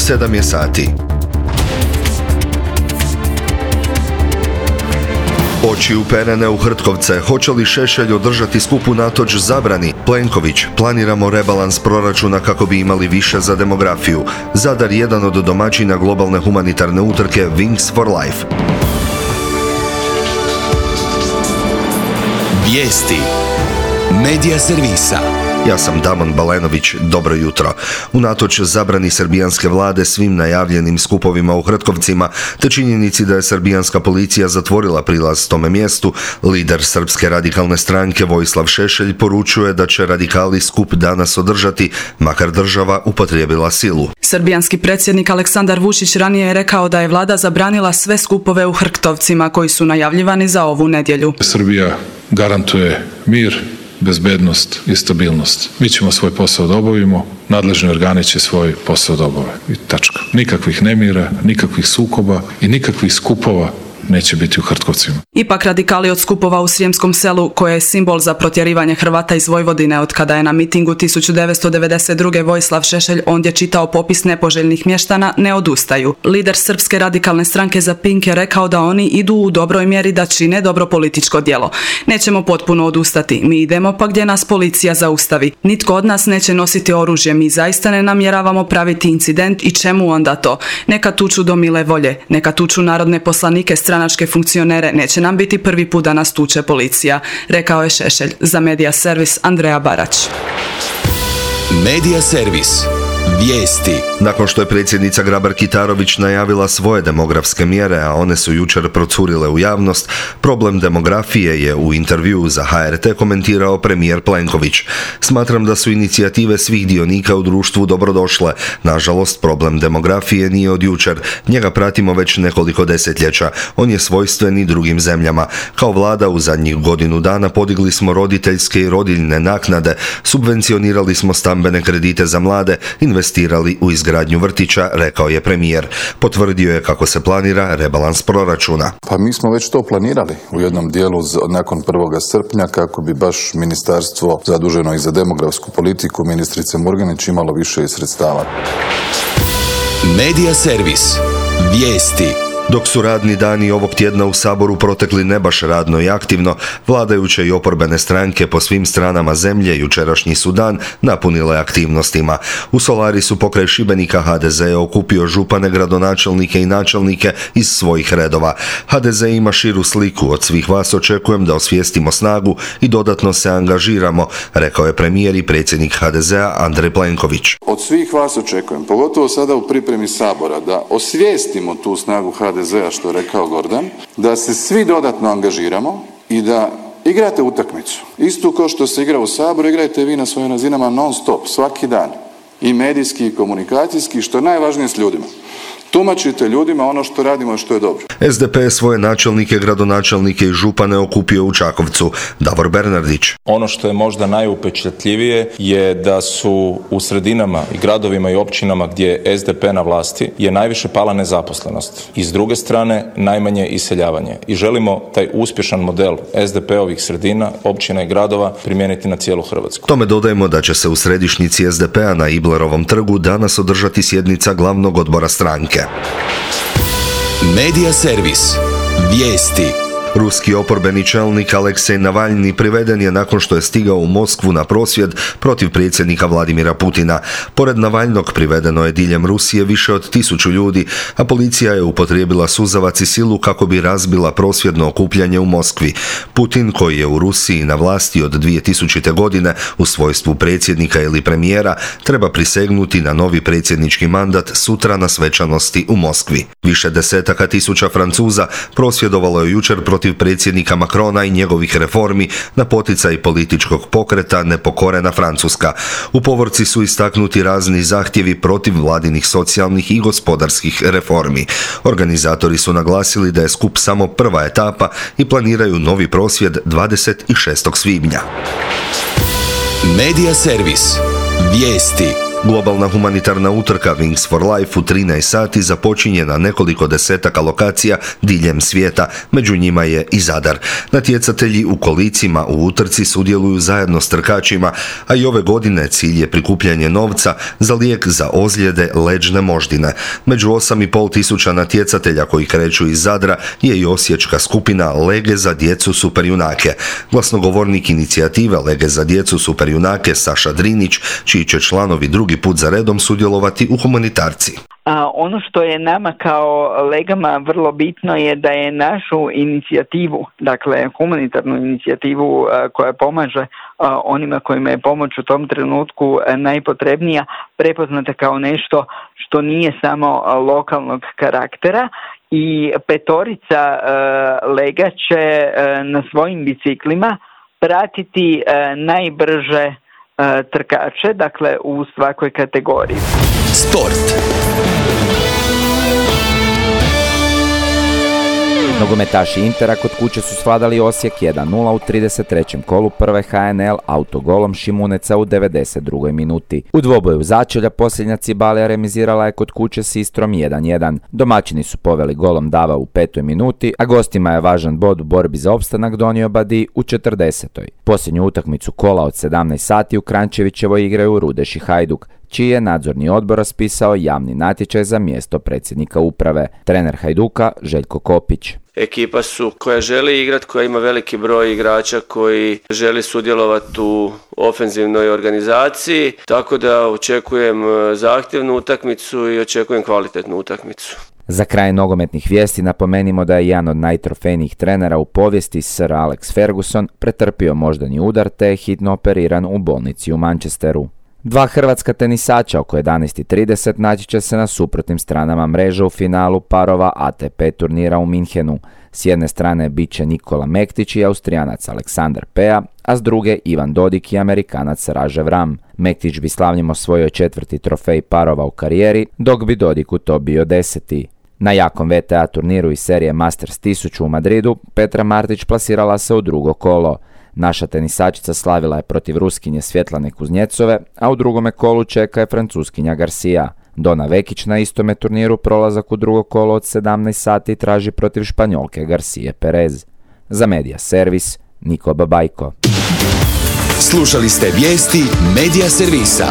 7 je sati. Oči uperene u Hrtkovce. Hoće li Šešelj održati skup unatoč zabrani? Plenković: planiramo rebalans proračuna kako bi imali više za demografiju. Zadar jedan od domaćina globalne humanitarne utrke Wings for Life. Vijesti Medija servisa. Ja sam Damon Balenović, dobro jutro. Unatoč zabrani srbijanske vlade svim najavljenim skupovima u Hrtkovcima, te činjenici da je srbijanska policija zatvorila prilaz tome mjestu, lider Srpske radikalne stranke Vojislav Šešelj poručuje da će radikali skup danas održati, makar država upotrijebila silu. Srbijanski predsjednik Aleksandar Vučić ranije je rekao da je vlada zabranila sve skupove u Hrtkovcima koji su najavljivani za ovu nedjelju. Srbija garantuje mir, bezbednost i stabilnost. Mi ćemo svoj posao da obavimo, nadležni organi će svoj posao da obave. I tačka. Nikakvih nemira, nikakvih sukoba i nikakvih skupova neće biti u Hrtkovcima. Ipak radikali od skupova u Srijemskom selu, koje je simbol za protjerivanje Hrvata iz Vojvodine od kada je na mitingu 1992. Vojislav Šešelj ondje čitao popis nepoželjnih mještana, ne odustaju. Lider Srpske radikalne stranke za Pink je rekao da oni idu u dobroj mjeri da čine dobro političko djelo. Nećemo potpuno odustati, mi idemo pa gdje nas policija zaustavi. Nitko od nas neće nositi oružje, mi zaista ne namjeravamo praviti incident i čemu onda to? Neka tuču do mile volje, neka tuču narodne poslanike, stranačke funkcionere, neće nam biti prvi put da nas tuče policija, rekao je Šešelj. Za Medija servis Andreja Barać. Medija servis. Vijesti. Nakon što je predsjednica Grabar-Kitarović najavila svoje demografske mjere, a one su jučer procurile u javnost, problem demografije je u intervjuu za HRT komentirao premijer Plenković. Smatram da su inicijative svih dionika u društvu dobrodošle. Nažalost, problem demografije nije od jučer. Njega pratimo već nekoliko desetljeća. On je svojstven i drugim zemljama. Kao vlada u zadnjih godinu dana podigli smo roditeljske i rodiljne naknade, subvencionirali smo stambene kredite za mlade, investirali u izgradnju vrtića, rekao je premijer. Potvrdio je kako se planira rebalans proračuna. Pa mi smo već to planirali u jednom dijelu nakon 1. srpnja kako bi baš ministarstvo zaduženo i za demografsku politiku ministrice Murganić imalo više i sredstava. Medija servis. Vijesti. Dok su radni dani ovog tjedna u Saboru protekli ne baš radno i aktivno, vladajuće i oporbene stranke po svim stranama zemlje jučerašnji su dan napunile aktivnostima. U Solarisu pokraj Šibenika HDZ je okupio župane, gradonačelnike i načelnike iz svojih redova. HDZ ima širu sliku, od svih vas očekujem da osvijestimo snagu i dodatno se angažiramo, rekao je premijer i predsjednik HDZ-a Andrej Plenković. Od svih vas očekujem, pogotovo sada u pripremi Sabora, da osvijestimo tu snagu HDZ-a, što je rekao Gordan, da se svi dodatno angažiramo i da igrate utakmicu. Isto kao što se igra u Saboru, igrajte vi na svojim razinama non stop, svaki dan. I medijski i komunikacijski, što je najvažnije s ljudima. Tumačite ljudima ono što radimo i što je dobro. SDP je svoje načelnike, gradonačelnike i župane okupio u Čakovcu. Davor Bernardić. Ono što je možda najupečatljivije je da su u sredinama i gradovima i općinama gdje je SDP na vlasti je najviše pala nezaposlenost. I s druge strane najmanje iseljavanje. I želimo taj uspješan model SDP-ovih sredina, općina i gradova primijeniti na cijelu Hrvatsku. Tome dodajemo da će se u središnjici SDP-a na Iblerovom trgu danas održati sjednica glavnog odbora stranke. Medija servis. Vijesti. Ruski oporbeni čelnik Aleksej Navalni priveden je nakon što je stigao u Moskvu na prosvjed protiv predsjednika Vladimira Putina. Pored Navalnog privedeno je diljem Rusije više od 1000 ljudi, a policija je upotrijebila suzavac i silu kako bi razbila prosvjedno okupljanje u Moskvi. Putin, koji je u Rusiji na vlasti od 2000. godine u svojstvu predsjednika ili premijera, treba prisegnuti na novi predsjednički mandat sutra na svečanosti u Moskvi. Više desetaka tisuća Francuza prosvjedovalo je jučer protiv predsjednika Macrona i njegovih reformi na poticaj političkog pokreta Nepokorena Francuska. U povorci su istaknuti razni zahtjevi protiv vladinih socijalnih i gospodarskih reformi. Organizatori su naglasili da je skup samo prva etapa i planiraju novi prosvjed 26. svibnja. Medija servis. Vijesti. Globalna humanitarna utrka Wings for Life u 13 sati započinje na nekoliko desetaka lokacija diljem svijeta, među njima je i Zadar. Natjecatelji u kolicima u utrci sudjeluju zajedno s trkačima, a i ove godine cilj je prikupljanje novca za lijek za ozljede leđne moždine. Među 8.500 natjecatelja koji kreću iz Zadra je i osječka skupina Lege za djecu superjunake. Glasnogovornik inicijative Lege za djecu superjunake Saša Drinić, čiji će članovi drugi put za redom sudjelovati u humanitarci. Ono što je nama kao Legama vrlo bitno je da je našu inicijativu, dakle humanitarnu inicijativu koja pomaže onima kojima je pomoć u tom trenutku najpotrebnija, prepoznata kao nešto što nije samo lokalnog karaktera. I petorica Lega će na svojim biciklima pratiti najbrže trkače, dakle u svakoj kategoriji. Sport. Nogometaši Intera kod kuće su svladali Osijek 1-0 u 33. kolu prve HNL autogolom Šimuneca u 92. minuti. U dvoboju začelja posljednja Cibalija remizirala je kod kuće s Istrom 1-1. Domaćini su poveli golom Dava u 5. minuti, a gostima je važan bod u borbi za opstanak donio Badi u 40. Posljednju utakmicu kola od 17 sati u Kranjčevićevoj igraju Rudeš i Hajduk, čiji je nadzorni odbor raspisao javni natječaj za mjesto predsjednika uprave. Trener Hajduka Željko Kopić. Ekipa su koja želi igrati, koja ima veliki broj igrača koji želi sudjelovati u ofenzivnoj organizaciji, tako da očekujem zahtjevnu utakmicu i očekujem kvalitetnu utakmicu. Za kraj nogometnih vijesti napomenimo da je jedan od najtrofejnijih trenera u povijesti Sir Alex Ferguson pretrpio moždani udar te je hitno operiran u bolnici u Manchesteru. Dva hrvatska tenisača oko 11:30 naći će se na suprotnim stranama mreže u finalu parova ATP turnira u Minhenu. S jedne strane bit će Nikola Mektić i Austrijanac Aleksandar Pea, a s druge Ivan Dodik i Amerikanac Rajev Ram. Mektić bi slavnjem osvojio 4. trofej parova u karijeri, dok bi Dodiku to bio 10. Na jakom VTA turniru iz serije Masters 1000 u Madridu, Petra Martić plasirala se u drugo kolo. Naša tenisačica slavila je protiv Ruskinje Svjetlane Kuznjecove, a u drugome kolu čeka je Francuskinja Garcia. Dona Vekić na istome turniru prolazak u drugo kolo od 17 sati traži protiv Španjolke Garcije Perez. Za Media Servis, Niko Babajko. Slušali ste vijesti Media Servisa.